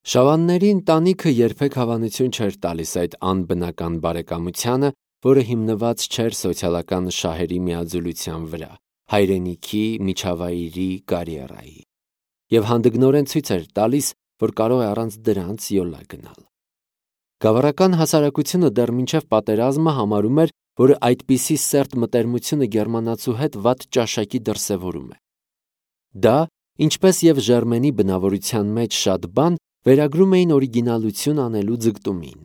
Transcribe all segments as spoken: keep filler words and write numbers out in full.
Շավանների ընտանիքը երբեք հավանություն չէր տալիս այդ անբնական բարեկամությանը, որը հիմնված չէր սոցիալական շահերի միաձուլության վրա, հայրենիքի, միջավայրի, կարիերայի, և հանդգնորեն ցույց էր տալիս, որ կարող է առանց դրանց յոլա գնալ։ Գավառական հասարակությունը դեռ մինչև պատերազմը համարում էր, որ այդպիսի սերտ մտերմությունը գերմանացու հետ վատ ճաշակի դրսևորում է։ Դա, ինչպես և Ժերմենի բնավորության մեջ շատ բան, վերագրում էին օրիգինալություն անելու ձգտումին։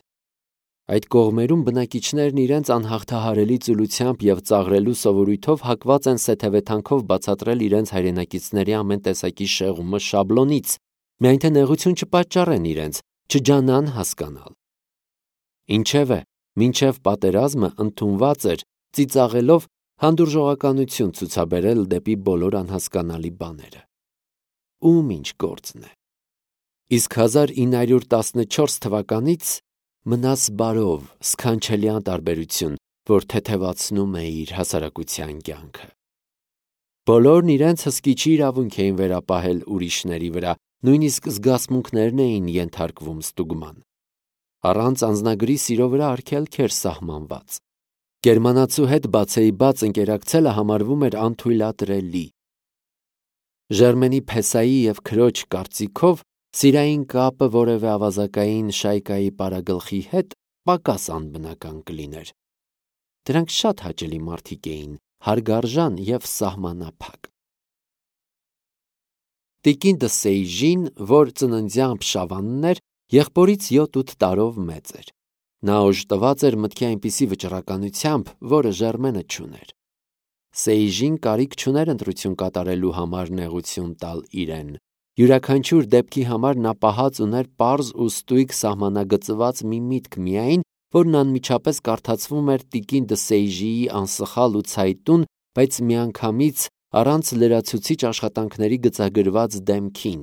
Այդ կողմերում բնակիչներն իրենց անհաղթահարելի ծուլությամբ և ծաղրելու սովորույթով հակված են սեթևեթանքով բացատրել իրենց հայրենակիցների ամեն տեսակի շեղումը շաբլոնից, միայն թե նեղություն չպատճառեն իրենց, չջանան հասկանալ։ Ինչևէ, մինչև պատերազմը ընդունված էր ծիծաղելով հանդուրժողականություն ցուցաբերել դեպի բոլոր անհասկանալի բաները։ Ում ինչ գործն է։ Իսկ հազար ինը հարյուր տասնչորս թվականից մնաս բարով սքանչելի անտարբերություն, որ թեթևացնում է իր հասարակության կյանքը։ Բոլորն իրենց հսկիչի իրավունք էին վերապահել ուրիշների վրա, նույնիսկ զգացմունքներն էին ենթարկվում ստուգման։ Առանց անձնագրի սիրո վրա արգելք էր սահմանված։ Գերմանացու հետ բացեիբաց ընկերակցելը համարվում էր անթույլատրելի։ Ժերմենի փեսայի և քրոջ կարծիքով սիրային կապը որևէ ավազակային շայկայի պարագլխի հետ պակաս անբնական կլիներ։ Դրանք շատ հաճելի մարդիկ էին, հարգարժան և սահմանափակ։ Տիկին դը Սեյժին, որ ծննդյամբ շավանն էր, եղբորից յոթ-ութ տարով մեծ էր։ Նա օժտված էր մտքի այնպիսի վճռականությամբ, որը Ժերմենը չուներ։ Սեյժին կարիք չուներ ընտրություն կատարելու համար նեղություն տալ իրեն։ Յուրաքանչյուր դեպքի համար նա պահած ուներ պարզ ու ստույգ սահմանագծված մի միտք միայն, որն անմիջապես կարդացվում էր տիկին դը Սեյժիի անսխալ ու ցայտուն, բայց միանգամից առանց լրացուցիչ աշխատանքների գծագրված դեմքին։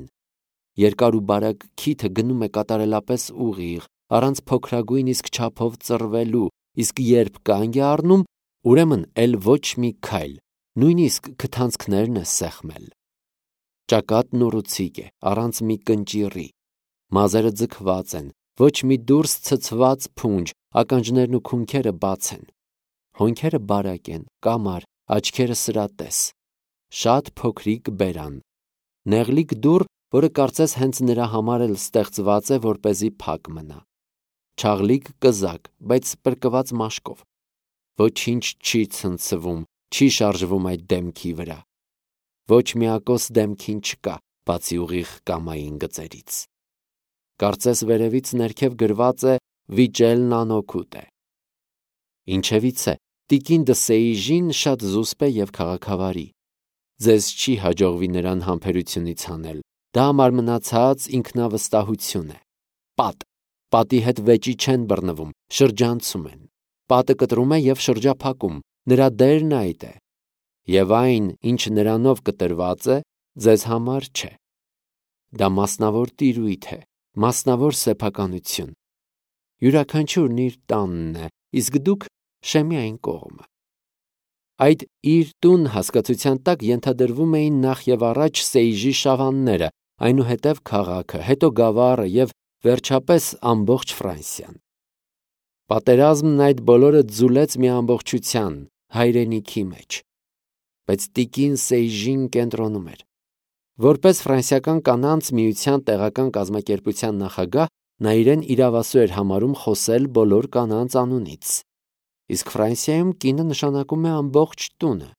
Երկար ու բարակ քիթը գնում է կատարելապես ուղիղ, առանց փոքրագույն իսկ չափով ծռվելու, իսկ երբ կանգ է առնում, ուրեմն էլ ոչ մի քայլ, նույնիսկ քթանցքներն է սեղմել։ Ճակատն ուռուցիկ է, առանց մի կնճիռի, մազերը ձգված են, ոչ մի դուրս ցցված փունջ, ականջներն ու քունքերը բաց են։ Հոնքերը բարակ են, կամար, աչքերը սրատես, շատ փոքրիկ բերան, նեղլիկ դուռ, որը կարծես հենց նրա համար էլ ստեղծված է, որպեսզի փակ մնա։ Չաղլիկ կզակ, բայց պրկված մաշկով։ Ոչինչ չի ցնցվում, չի շարժվում այդ դեմքի վրա։ Ոչ մի ակոս դեմքին չկա, բացի ուղիղ կամային գծերից։ Կարծես վերևից ներքև գրված է վիճելն անօգուտ է։ Ինչևից է, տիկին դը Սեյժին շատ զուսպ է և քաղաքավարի։ Ձեզ չի հաջողվի նրան համբերությունից հանել։ Դա մարմնացած ինքնավստահություն է։ Պատ, պատի հետ վեճի չեն բռնվում, շրջանցում են։ Պատը կտրում է և շրջափակում, նրա դերն այդ է։ Եվ այն, ինչ նրանով կտրված է, ձեզ համար չէ։ Դա մասնավոր տիրույթ է, մասնավոր սեփականություն։ Յուրաքանչյուրն իր տանն է, իսկ դուք շեմի այն կողմը։ Այդ իր տուն հասկացության տակ ենթադրվում էին նախ և առաջ Սեյժի շավանները, այնուհետև քաղաքը, հետո գավառը և վերջապես ամբողջ Ֆրանսիան։ Պատերազմն այդ բոլորը ձուլեց մի ամբողջության, հայրենիքի մեջ։ Բայց տիկին Սեյժին կենտրոնում էր։ Որպես ֆրանսիական կանանց միության տեղական կազմակերպության նախագահ, նա իրեն իրավասու էր համարում խոսել բոլոր կանանց անունից։ Իսկ Ֆրանսիայում կինը նշանակում է ամբողջ տունը։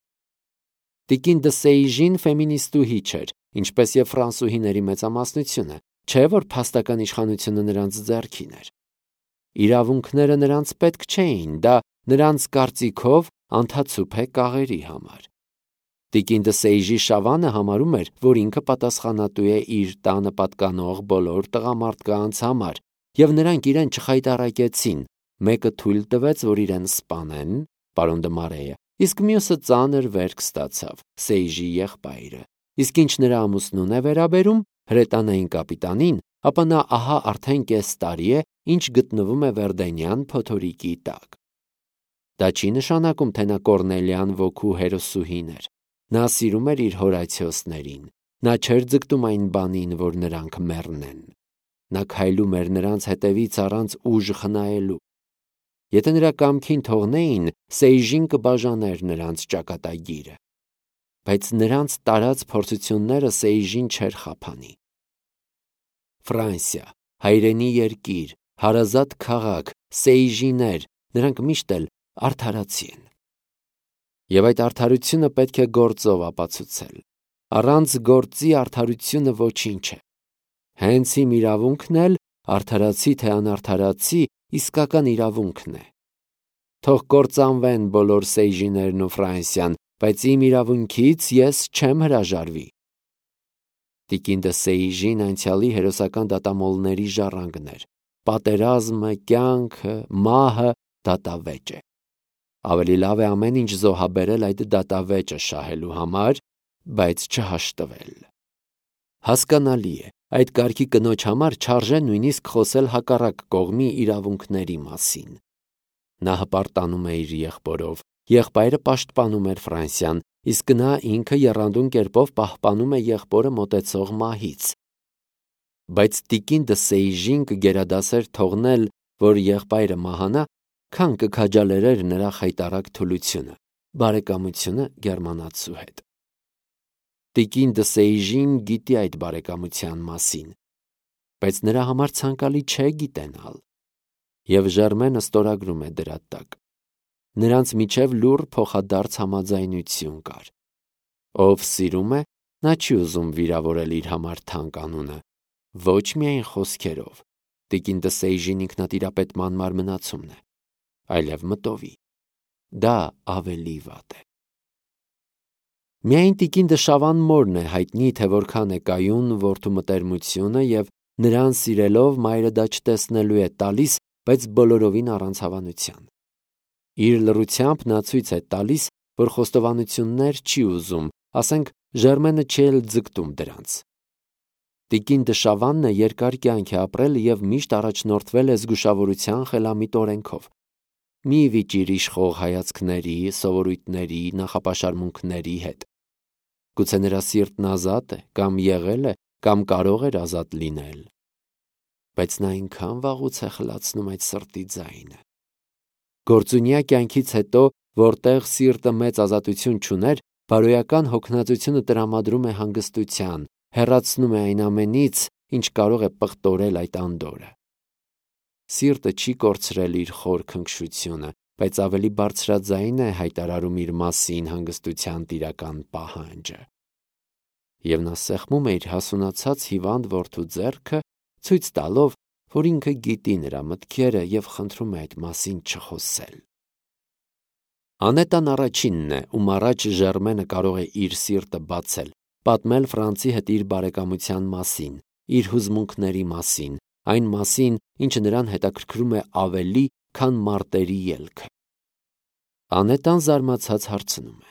Տիկին դը Սեյժին ֆեմինիստուհի չէր, ինչպես և ֆրանսուհիների մեծամասնությունը, չէ որ փաստական իշխանությունը նրանց ձեռքին էր։ Իրավունքները նրանց պետք չէին, դա նրանց կարծիքով անթացուփ է կաղերի համար։ Տիկին դը Սեյժի շավանը համարում էր, որ ինքը պատասխանատու է իր տանը պատկանող բոլոր տղամարդկանց համար, և նրանք իրեն չխայտառակեցին, մեկը թույլ տվեց, որ իրեն սպանեն, պարոն դը Մարեյը, իսկ մյուսը ծանր վերք ստացավ, Սեյժի եղբայրը, իսկ ինչ նրա ամուսնուն է վերաբերում, հրետանային կապիտանին, ապա նա ահա արդեն կես տարի է, ինչ գտնվում է Վերդենյան փոթորիկի տակ։ Դա չի նշանակում, թե նա Կոռնելիան ոգու հերոսուհին էր։ Նա սիրում էր իր Հորացիոսներին, նա չէր ձգտում այն բանին, որ նրանք մեռնեն։ Նա քայլում էր նրանց հետևից առանց ուժ խնայելու։ Եթե նրա կամքին թողնեին, Սեյժին կբաժաներ նրանց ճակատագիրը։ Բայց նրանց տարած փորձությունները Սեյժին չէր խափանի։ Ֆրանսիա, հայրենի երկիր, հարազատ քաղաք, Սեյժիներ, նրանք միշտ էլ արդարացի են։ Եվ այդ արդարությունը պետք է գործով ապացուցել։ Առանց գործի արդարությունը ոչինչ է։ Հենց իմ իրավունքն էլ արդարացի թե անարդարացի իսկական իրավունքն է։ Թող կործանվեն բոլոր Սեյժիներն ու Ֆրանսիան, բայց իմ իրավունքից ես չեմ հրաժարվի։ Տիկին դը Սեյժին անցյալի հերոսական դատամոլների ժառանգն էր։ Պատերազմը, կյանքը, մահը դատավեճ է։ Ավելի լավ է ամեն ինչ զոհաբերել այդ դատավեճը շահելու համար, բայց չհաշտվել։ Հասկանալի է, այդ կարգի կնոջ համար չարժե նույնիսկ խոսել հակառակ կողմի իրավունքների մասին։ Նա հպարտանում է իր եղբորով, եղբայրը պաշտպանում էր Ֆրանսիան, իսկ նա ինքը եռանդուն կերպով պահպանում է եղբորը մոտեցող մահից։ Բայց տիկին դը Սեյժին կգերադասեր թողնել, որ եղբայրը մահանա, քան կքաջալերեր նրա խայտառակ թուլությունը, բարեկամությունը գերմանացու հետ։ Տիկին դը Սեյժին գիտի այդ բարեկամության մասին, բայց նրա համար ցանկալի չէ գիտենալ, եւ Ժերմենը ստորագրում է դրա տակ։ Նրանց միջև լուռ փոխադարձ համաձայնություն կար։ Ով սիրում է, նա չի ուզում վիրավորել իր համար թանկ անունը, ոչ միայն խոսքերով, տիկին դը Սեյժին ինքնատիրապետման մարմնացումն է, այլև մտովի։ Դա ավելի վատ է։ Միայն տիկին դը Շավան մորն է հայտնի, թե որքան է կայուն որդու մտերմությունը եւ նրան սիրելով մայրը դա չտեսնելու է տալիս, բայց բոլորովին առանց հավանության։ Իր լռությամբ նա ցույց է տալիս, որ խոստովանություններ չի ուզում, ասենք Ժերմենը չի էլ ձգտում դրանց։ Տիկին դը Շավանն է երկար կյանք է ապրել եւ միշտ առաջնորդվել է զգուշավորության խելամիտ օրենքով։ Մի վիճիր իշխող հայացքների, սովորույթների, նախապաշարմունքների հետ։ Գուցե նրա սիրտն ազատ է, կամ եղել է, կամ կարող էր ազատ լինել։ Բայց նա այնքան վաղուց է խլացնում այդ սրտի ձայնը։ Գործունյա կյանքից հետո, որտեղ սիրտը մեծ ազատություն չուներ, բարոյական հոգնածությունը տրամադրում է հանգստության, հեռացնում է այն ամենից, ինչ կարող է պղտորել այդ անդորը։ Սիրտը չի կորցրել իր խոր քնքշությունը, բայց ավելի բարձրաձայն է հայտարարում իր մասին հանգստության տիրական պահանջը։ Եվ նա սեղմում է իր հասունացած հիվանդ որդու ձեռքը, ցույց տալով, որ ինքը գիտի նրա մտքերը եւ խնդրում է այդ մասին չխոսել։ Անետան առաջինն է, ում առաջ Ժերմենը կարող է իր սիրտը բացել, պատմել Ֆրանցի հետ իր բարեկամության մասին, իր հուզմունքների մասին, այն մասին, ինչը նրան հետաքրքրում է ավելի, քան մարտերի ելքը։ Անետան զարմացած հարցնում է.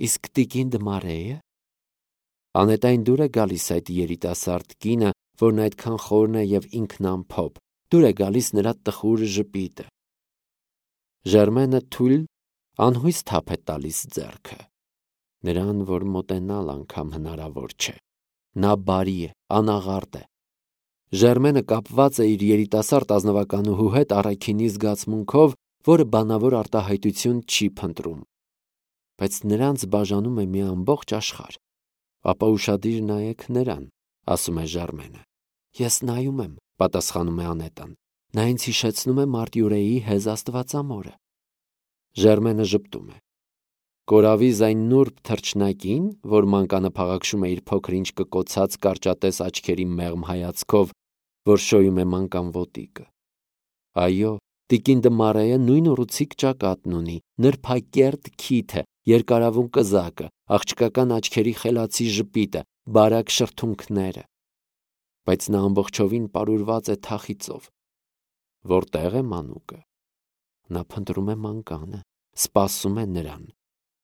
իսկ տիկին դը Մարեյը։ Անետային դուր է գալիս այդ երիտասարդ կինը, որն այդքան խորն է եւ ինքնամփոփ, դուր է գալիս նրա տխուր ժպիտը։ Ժերմենը թույլ անհույս թափ է տալիս ձեռքը, նրան, որ մոտենալ անգամ հնարավոր չէ։ Նա բարի է, անաղարտ է։ Ժերմենը կապված է իր երիտասարդ ազնվականուհու հետ առաքինի զգացմունքով, որը բանավոր արտահայտություն չի փնտրում։ Բայց նրանց բաժանում է մի ամբողջ աշխարհ։ Ապա ուշադիր նայեք նրան, ասում է Ժերմենը։ Ես նայում եմ, պատասխանում է Անետան։ Նա ինձ հիշեցնում է Մարտյուրեի հեզ Աստվածամորը։ Ժերմենը ժպտում է։ Կորավի այն նուրբ թռչնակին, որ մանկանը փաղաքշում է իր փոքր-ինչ կկոցած կարճատես աչքերի մեղմ հայացքով, որ շոյում է մանկան ոտիկը։ Այո, տիկին դը Մարեյը նույն ուռուցիկ ճակատն ունի, նրբակերտ քիթը, երկարավուն կզակը, աղջկական աչքերի խելացի ժպիտը, բարակ շրթունքները։ Բայց նա ամբողջովին պարուրված է թախիծով։ Որտեղ է մանուկը։ Նա փնտրում է մանկանը, սպասում է նրան,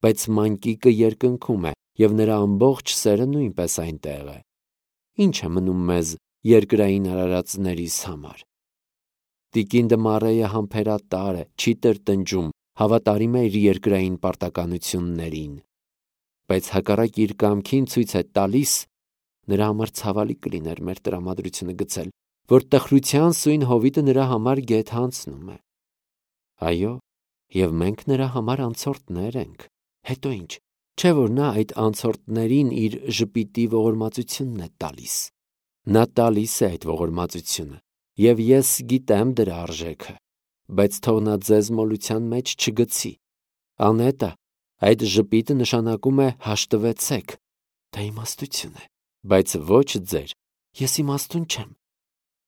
բայց մանկիկը երկնքում է, եւ նրա ամբողջ սերը նույնպես այնտեղ է։ Ինչ է մնում մեզ երկրային արարածներիս համար։ Տիկին դը Մարեյը համբերատար է, չի տրտնջում, հավատարիմ է իր երկրային պարտականություններին, բայց հակառակ իր կամքին ցույց է տալիս, նրա համար ցավալի կլիներ մեր տրամադրությունը գցել, որ տխրության սույն հովիտը նրա համար գեթ հանցնում է։ Այո, եւ մենք նրա համար անցորդներ ենք։ Հետո ինչ, չէ՞ որ նա այդ անցորդներին իր ժպիտի ողորմածությունն է տալիս։ Նա տալիս է այդ ողորմածությունը, եւ ես գիտեմ դրա արժեքը, բայց թող նա ձեզ մոլության մեջ չգցի։ Անետա, այդ ժպիտը նշանակում է հաշտվեցեք, դա իմաստություն է, բայց ոչ ձեր, ես իմաստուն չեմ։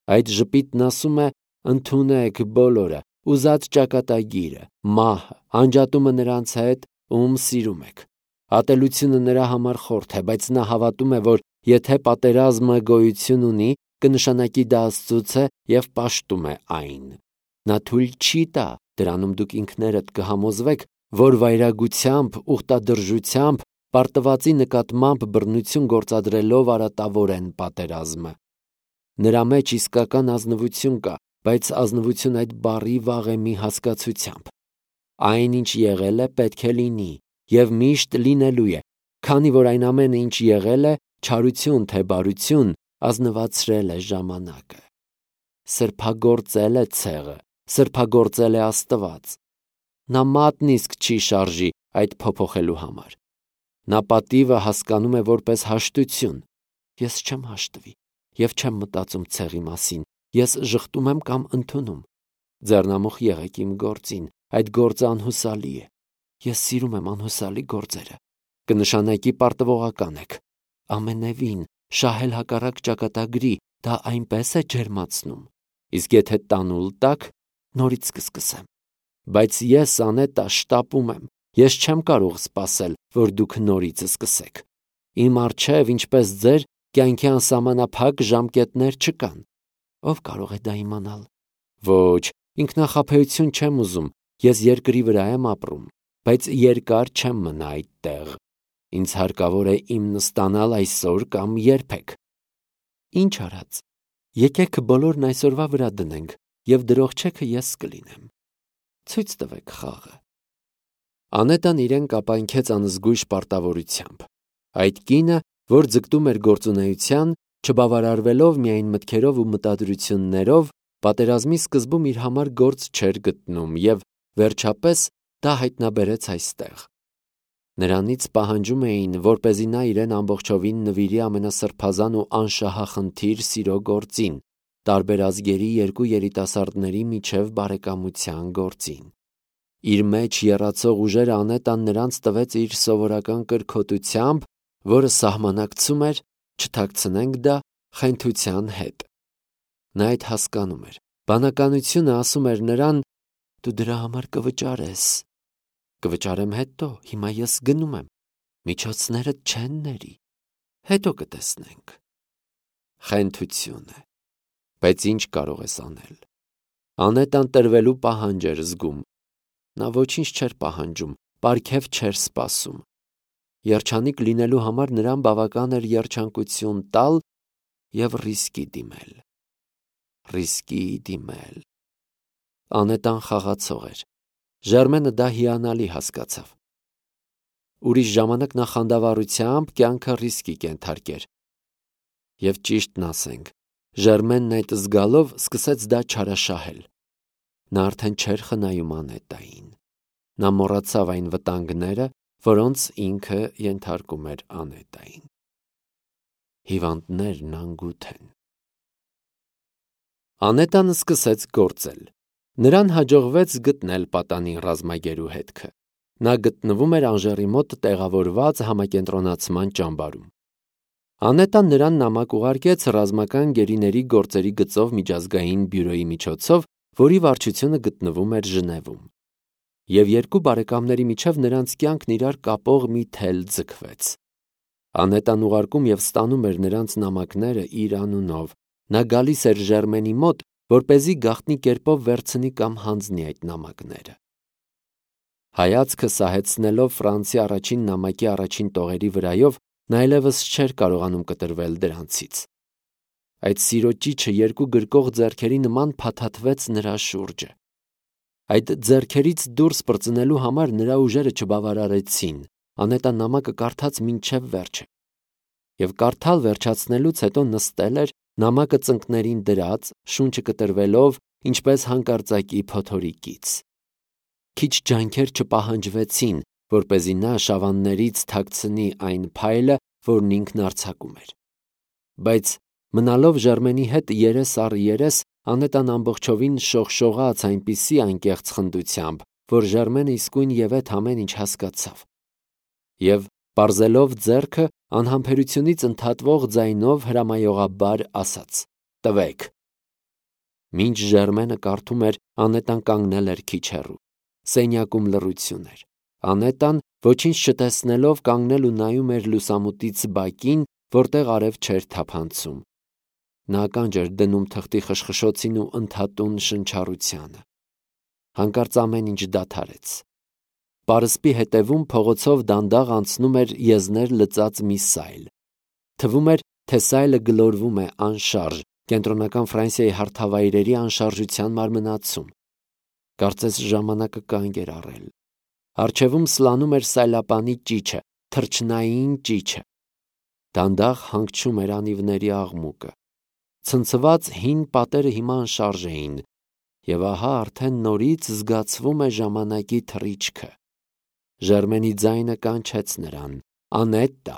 Այդ ժպիտն ասում է ընդունեք բոլորը, ուզած ճակատագիրը, մահը, անջատումը նրանց հետ, ում սիրում եք։ Ատելությունը նրա համար խորթ է, բայց նա հավատում է, որ եթե պատերազմը գոյություն ունի, կնշանակի դա Աստծուց է եւ պաշտում է այն։ Նա թույլ չի տա, դրանում դուք ինքներդ կհամոզվեք, որ վայրագությամբ, ուխտադրժությամբ, պարտվածի նկատմամբ բռնություն գործադրելով արատավորեն պատերազմը։ Նրա մեջ իսկական ազնվություն կա, բայց ազնվություն այդ բառի վաղեմի հասկացությամբ։ Այն, ինչ եղել է, պետք է լինի եւ միշտ լինելու է, քանի որ այն ամենը, ինչ եղել է, չարություն թե բարություն, ազնվացրել է ժամանակը։ Սրբագործել է ցեղը, սրբագործել է Աստված։ Նա մատն իսկ չի շարժի այդ փոփոխելու համար։ Նա պատիվը հասկանում է որպես հաշտություն։ Ես չեմ հաշտվի եւ չեմ մտածում ցեղի մասին, ես ժխտում եմ կամ ընդունում։ Ձեռնամուխ եղեք իմ գործին, այդ գործը անհուսալի է։ Ես սիրում եմ անհուսալի գործերը։ Կնշանակի պարտվողական եք։ Ամենևին շահել հակառակ ճակատագրի, դա այնպես է ջերմացնում։ Իսկ եթե տանուլ տաք, նորից կսկսեմ։ Բայց ես անետա շտապում եմ։ Ես չեմ կարող սպասել, որ դուք նորից սկսեք։ Իմ առջև, ինչպես ձեր, կյանքի անսահմանափակ ժամկետներ չկան։ Ով կարող է դա իմանալ։ Ոչ, ինքնախաբեություն չեմ ուզում, ես երկրի վրա եմ ապրում, բայց երկար չեմ մնա այդտեղ։ Ինձ հարկավոր է իմ նստանալ այսօր կամ երբեք։ Ինչ արած։ Եկեք բոլորն այսօրվա վրա դնենք, եւ դրողչեքը ես կլինեմ։ Ցույց տվեք խաղը։ Անետան իրեն կապանքեց անզգույշ պարտավորությամբ։ Այդ կինը, որ ձգտում էր գործունեության, չբավարարվելով միայն մտքերով ու մտադրություններով, պատերազմի սկզբում իր համար գործ չէր գտնում եւ վերջապես դա հայտնաբերեց այստեղ։ Նրանից պահանջում էին, որպեսզի նա իրեն ամբողջովին նվիրի ամենասրբազան ու անշահախնդիր սիրո գործին, տարբեր ազգերի երկու երիտասարդների միջև բարեկամության գործին։ Իր մեջ եռացող ուժերը Անետան նրանց տվեց իր սովորական կրքոտությամբ, որը սահմանակցում էր, չթաքցնենք դա, խենթության հետ։ Նա այդ հասկանում էր։ Բանականությունը ասում էր նրան. «Դու դրա համար կվճարես»։ Կվճարեմ հետո, հիմա ես գնում եմ։ Միջոցներդ չեն ների։ Հետո կտեսնենք։ Խենթություն է։ Բայց ինչ կարող ես անել։ Անետան տրվելու պահանջ էր զգում։ Նա ոչինչ չէր պահանջում, պարգև չէր սպասում։ Երջանիկ լինելու համար նրան բավական էր երջանկություն տալ եւ ռիսկի դիմել։ Ռիսկի դիմել։ Անետան խաղացող էր։ Ժերմենը դա հիանալի հասկացավ։ Ուրիշ ժամանակ նա խանդավառությամբ կյանքը ռիսկի կենթարկեր։ Եվ ճիշտն ասենք, Ժերմենն այդ զգալով սկսեց դա չարաշահել։ Նա արդեն չէր խնայում Անետային։ Նա մոռացավ այն վտանգները, որոնց ինքը ենթարկում էր Անետային։ Հիվանդներն անգութ են։ Անետան սկսեց գործել։ Նրան հաջողվեց գտնել պատանին ռազմագերու հետքը։ Նա գտնվում էր Անժերի մոտ տեղավորված համակենտրոնացման ճամբարում։ Անետան նրան նամակ ուղարկեց ռազմական գերիների գործերի գծով միջազգային բյուրոյի միջոցով, որի վարչությունը գտնվում էր Ժնևում։ Եվ երկու բարեկամների միջև նրանց կյանքն իրար կապող մի թել ձգվեց։ Անետան ուղարկում եւ ստանում էր նրանց նամակները իր անունով։ Նա գալիս էր Ժերմենի մոտ, որպեսզի գաղտնի կերպով վերցնի կամ հանձնի այդ նամակները։ Հայացքը սահեցնելով Ֆրանսի առաջին նամակի առաջին տողերի վրայով, նա այլևս չէր կարողանում կտրվել դրանցից։ Այդ սիրո ճիչը երկու գրկող ձեռքերի նման փաթաթվեց նրա շուրջը։ Այդ ձեռքերից դուրս պրծնելու համար նրա ուժերը չբավարարեցին։ Անետան նամակը կարդաց մինչև վերջը։ Եվ կարդալ վերջացնելուց հետո նստել էր, նամակը ծնկներին դրած, շունչը կտրվելով, ինչպես հանկարծակի փոթորիկից։ Քիչ ջանքեր չպահանջվեցին, որպեսզի նա շավաններից թաքցնի այն փայլը, որն ինքն արձակում էր։ Բայց մնալով Ժերմենի հետ երես առ երես, Անետան ամբողջովին շողշողաց այնպիսի անկեղծ խնդությամբ, որ Ժերմենը իսկույն ևեթ ամեն ինչ հասկացավ։ Եվ պարզելով ձեռքը, անհամբերությունից ընդհատվող ձայնով հրամայողաբար ասաց. «Տվեք»։ Մինչ Ժերմենը կարդում էր, Անետան կանգնել էր քիչ հեռու։ Սենյակում լռություն էր։ Անետան, ոչինչ չտեսնելով, կանգնել ու նայում էր լուսամուտից բակին, որտեղ արև չէր թափանցում։ Նա ականջ էր դնում թղթի խշխշոցին ու ընդհատուն շնչառությանը։ Հանկարծ ամեն ինչ դադարեց։ Պարսպի հետևում փողոցով դանդաղ անցնում էր եզներ լծած մի սայլ։ Թվում էր, թե սայլը գլորվում է անշարժ, կենտրոնական Ֆրանսիայի հարթավայրերի անշարժության մարմնացում։ Կարծես ժամանակը կանգ էր առել։ Առջևում սլանում էր սայլապանի ճիչը, թռչնային ճիչը։ Դանդաղ հանգչում էր անիվների աղմուկը։ Ցնցված հին պատերը հիմա անշարժ էին, եւ ահա արդեն նորից զգացվում է ժամանակի թռիչքը։ Ժերմենի ձայնը կանչեց նրան. «Անետա»։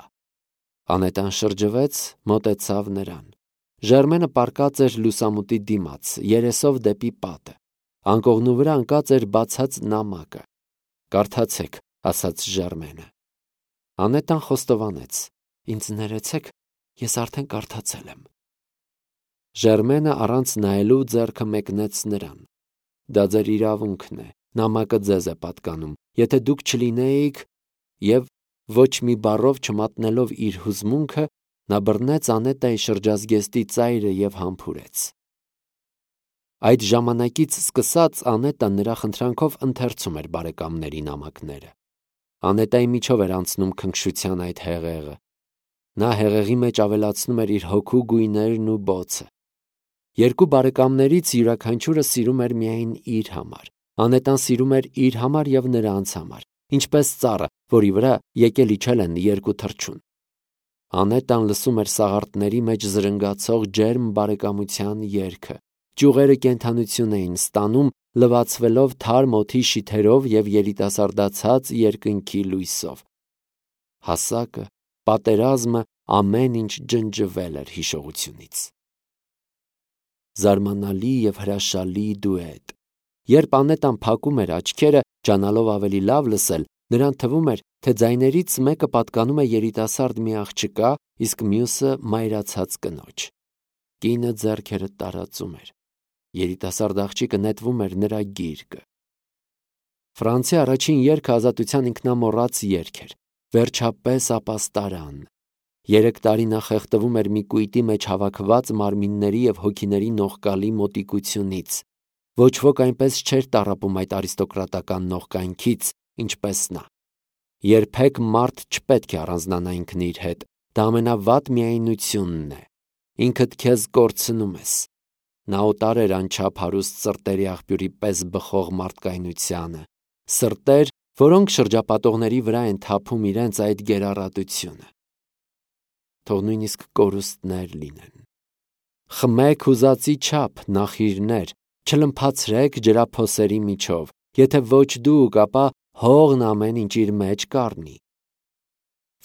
Անետան շրջվեց, մոտեցավ նրան։ Ժերմենը պառկած էր լուսամուտի դիմաց, երեսով դեպի պատը։ Անկողնու վրա ընկած էր բացած նամակը։ «Կարդացեք», ասաց Ժերմենը։ Անետան խոստովանեց. «Ինձ ներեցեք, ես արդեն կարդացել եմ»։ Ժերմենը առանց նայելու ձեռքը մեկնեց նրան։ «Դա ձեր իրավունքն է, նամակը ձեզ է պատկանում, եթե դուք չլինեիք…» Եվ ոչ մի բառով չմատնելով իր հուզմունքը, նա բռնեց Անետայի շրջազգեստի ծայրը և համբուրեց։ Այդ ժամանակից սկսած Անետան նրա խնդրանքով ընթերցում էր բարեկամների նամակները։ Անետայի միջով էր անցնում քնքշության այդ հեղեղը։ Նա հեղեղի մեջ ավելացնում էր իր հոգու գույներն ու բոցը։ Երկու բարեկամներից յուրաքանչյուրը սիրում էր միայն իր համար։ Անետան սիրում էր իր համար և նրանց համար, ինչպես ծառը, որի վրա եկել իջել են երկու թռչուն։ Անետան լսում էր սաղարթների մեջ զրնգացող ջերմ բարեկամության երգը։ Ճյուղերը կենդանություն էին ստանում, լվացվելով թարմ օդի շիթերով և երիտասարդացած երկնքի լույսով։ Հասակը, պատերազմը, ամեն ինչ ջնջվել էր հիշողությունից։ Զարմանալի և հրաշալի դուետ։ Երբ Անետան փակում էր աչքերը, ջանալով ավելի լավ լսել, նրան թվում էր, թե ձայներից մեկը պատկանում է երիտասարդ մի աղջկա, իսկ մյուսը մայրացած կնոջ։ Կինը ձեռքերը տարածում էր։ Երիտասարդ աղջիկը նետվում էր նրա գիրկը։ Ֆրանսիա առաջին երգը ազատության ինքնամոռաց երգ էր։ Վերջապես ապաստարան։ Երեք տարի նա խեղդվում էր մի կույտի մեջ հավաքված մարմինների և հոգիների նողկալի մոտիկությունից։ Ոչ ոք այնպես չէր տառապում այդ արիստոկրատական նողկանքից, ինչպես նա։ Երբեք մարդ չպետք է առանձնանա ինքն իր հետ, դա ամենավատ միայնությունն է։ Ինքդ քեզ կորցնում ես։ Նա օտար էր անչափ հարուստ սրտերի աղբյուրի պես բխող մարդկայնությանը, սրտեր, որոնք շրջապատողների վրա են թափում իրենց այդ գերառատությունը։ Թող նույնիսկ կորուստներ լինեն։ Խմեք ուզածի չափ, նախիրներ, չլմփացրեք ջրափոսերի միջով, եթե ոչ դուք, ապա հողն ամեն ինչ իր մեջ կառնի։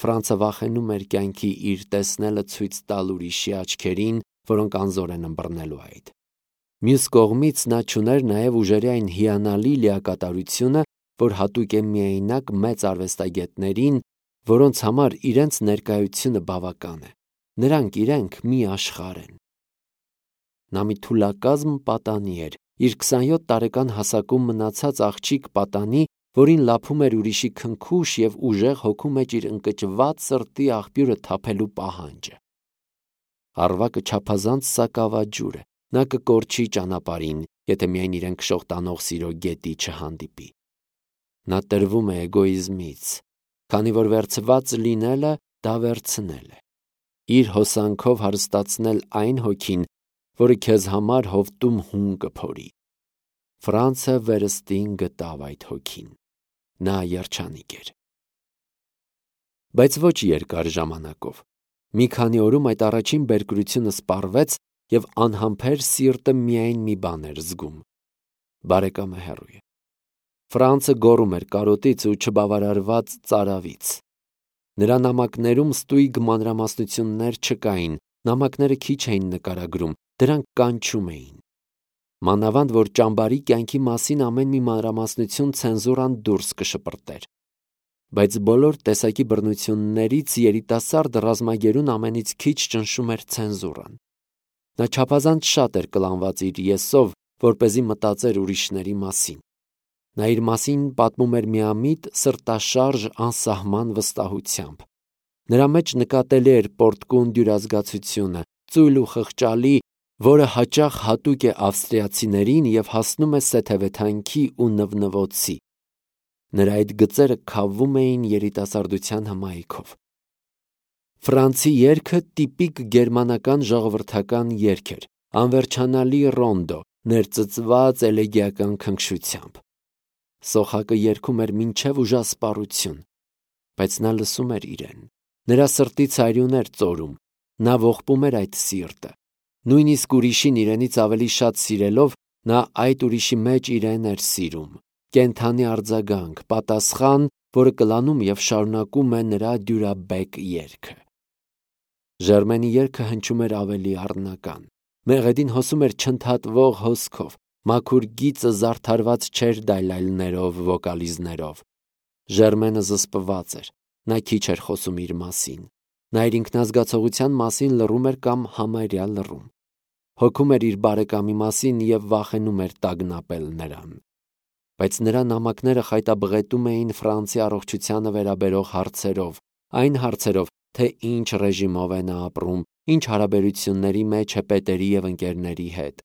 Ֆրանցը վախենում էր կյանքի իր տեսնելը ցույց տալ ուրիշի աչքերին, որոնք անզոր են ըմբռնելու այդ։ Մյուս կողմից նա չուներ նաև ուժերի այն հիանալի լիակատարությունը, որ հատուկ է միայնակ մեծ արվեստագետներին, որոնց համար իրենց ներկայությունը բավական է։ Նրանք իրենք մի աշխարհ են։ Նա մի թուլակազմ պատանի էր, իր քսանյոթ տարեկան հասակում մնացած աղջիկ պատանի, որին լափում էր ուրիշի քնքուշ և ուժեղ հոգու մեջ իր ընկճված սրտի աղբյուրը թափելու պահանջը։ Առվակը չափազանց սակավաջուր է, նա կկորչի ճանապարհին, եթե միայն իրեն քշող տանող սիրո գետի չհանդիպի։ Նա տրվում է էգոիզմից, քանի որ վերցված լինելը դա վերցնել է։ Իր հոսանքով հարստացնել այն հոգին, որը քեզ համար հովտում հում կփորի։ Ֆրանցը վերստին գտավ այդ հոգին։ Նա երջանիկ էր։ Բայց ոչ երկար ժամանակով։ Մի քանի օրում այդ առաջին բերկրությունը սպառվեց և անհամբեր սիրտը միայն մի բան էր զգում. բարեկամը հեռու է։ Ֆրանցը գոռում էր կարոտից ու չբավարարված ծարավից։ Նրա նամակներում ստույգ մանրամասնություններ չկային, նամակները քիչ էին նկարագրում, դրանք կանչում էին։ Մանավանդ որ ճամբարի կյանքի մասին ամեն մի մանրամասնություն ցենզուրան դուրս կշպրտեր։ Բայց բոլոր տեսակի բռնություններից երիտասարդ ռազմագերուն ամենից քիչ ճնշում էր ցենզուրան։ Նա չափազանց շատ էր կլանված իր եսով, որպեսզի մտածեր ուրիշների մասին։ Նա իր մասին պատմում էր միամիտ, սրտաշարժ, անսահման վստահությամբ։ Նրա մեջ նկատելի էր պորտկուն դյուրազգացությունը, ծույլ ու խղճալի, որը հաճախ հատուկ է ավստրիացիներին և հասնում է սեթևեթանքի ու նվնվոցի։ Նրա այդ գծերը քավվում էին երիտասարդության հմայքով։ Ֆրանցի երգը տիպիկ գերմանական ժողովրդական երգ էր, անվերջանալի ռոնդո, ներծծված էլեգիական քնքշությամբ։ Սոխակը երգում էր մինչև ուժասպառություն, բայց նա լսում էր իրեն։ Նրա սրտից արյուն էր ծորում, նա ողբում էր այդ սիրտը։ Նույնիսկ ուրիշին իրենից ավելի շատ սիրելով, նա այդ ուրիշի մեջ իրեն էր սիրում։ Կենդանի արձագանք, պատասխան, որը կլանում և շարունակում է նրա դյուրաբեկ երգը։ Ժերմենի երգը հնչում էր ավելի առնական։ Մեղեդին հոսում էր չընդհատվող հոսքով, մաքուր գիծը զարդարված չէր դայլայլներով, վոկալիզներով։ Ժերմենը զսպված էր, նա քիչ էր խոսում իր մասին։ Նա իր ինքնազգացողության մասին լռում էր կամ համարյա լռում։ Հոգում էր իր բարեկամի մասին և վախենում էր տագնապել նրան։ Բայց նրա նամակները խայտաբղետում էին Ֆրանսի առողջությանը վերաբերող հարցերով, այն հարցերով, թե ինչ ռեժիմով է նա ապրում, ինչ հարաբերությունների մեջ է պետերի և ընկերների հետ։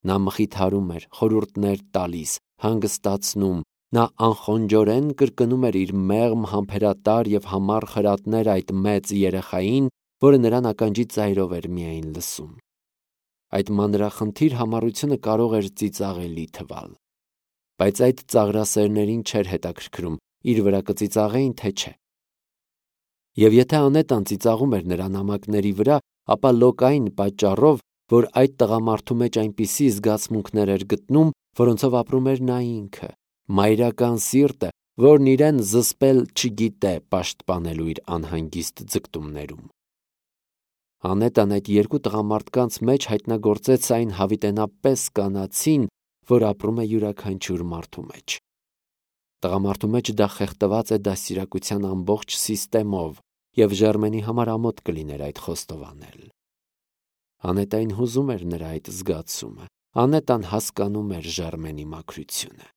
Նա մխիթարում էր, խորհուրդներ տալիս, հանգստացնում, նա անխոնջորեն կրկնում էր իր մեղմ, համբերատար և համառ խրատներ այդ մեծ երեխային, որը նրան ականջի ծայրով էր միայն լսում։ Այդ մանրախնդիր համառությունը կարող էր ծիծաղելի թվալ։ Բայց այդ ծաղրասերներին չէր հետաքրքրում՝ իր վրա կծիծաղեին, թե չէ։ Եվ եթե Անետան ծիծաղում էր նրա նամակների վրա, ապա լոկային պատճառով, որ այդ տղամարդու մեջ այնպիսի զգացմունքներ էր գտնում, որոնցով ապրում էր նա ինքը, մայրական սիրտը, որն իրեն զսպել չգիտե պաշտպանելու իր անհանգիստ ձգտումներում։ Անետան այդ երկու տղամարդկանց մեջ հայտնագործեց այն հավիտենապես կանացին, որ ապրում է յուրաքանչյուր մարդու մեջ։ Տղամարդու մեջ դա խեղդված է դաստիարակության ամբողջ սիստեմով, և Ժերմենի համար ամոթ կլիներ այդ խոստովանել։ Անետային հուզում էր նրա այդ զգացումը։ Անետան հասկանում էր Ժերմենի մաքրությունը։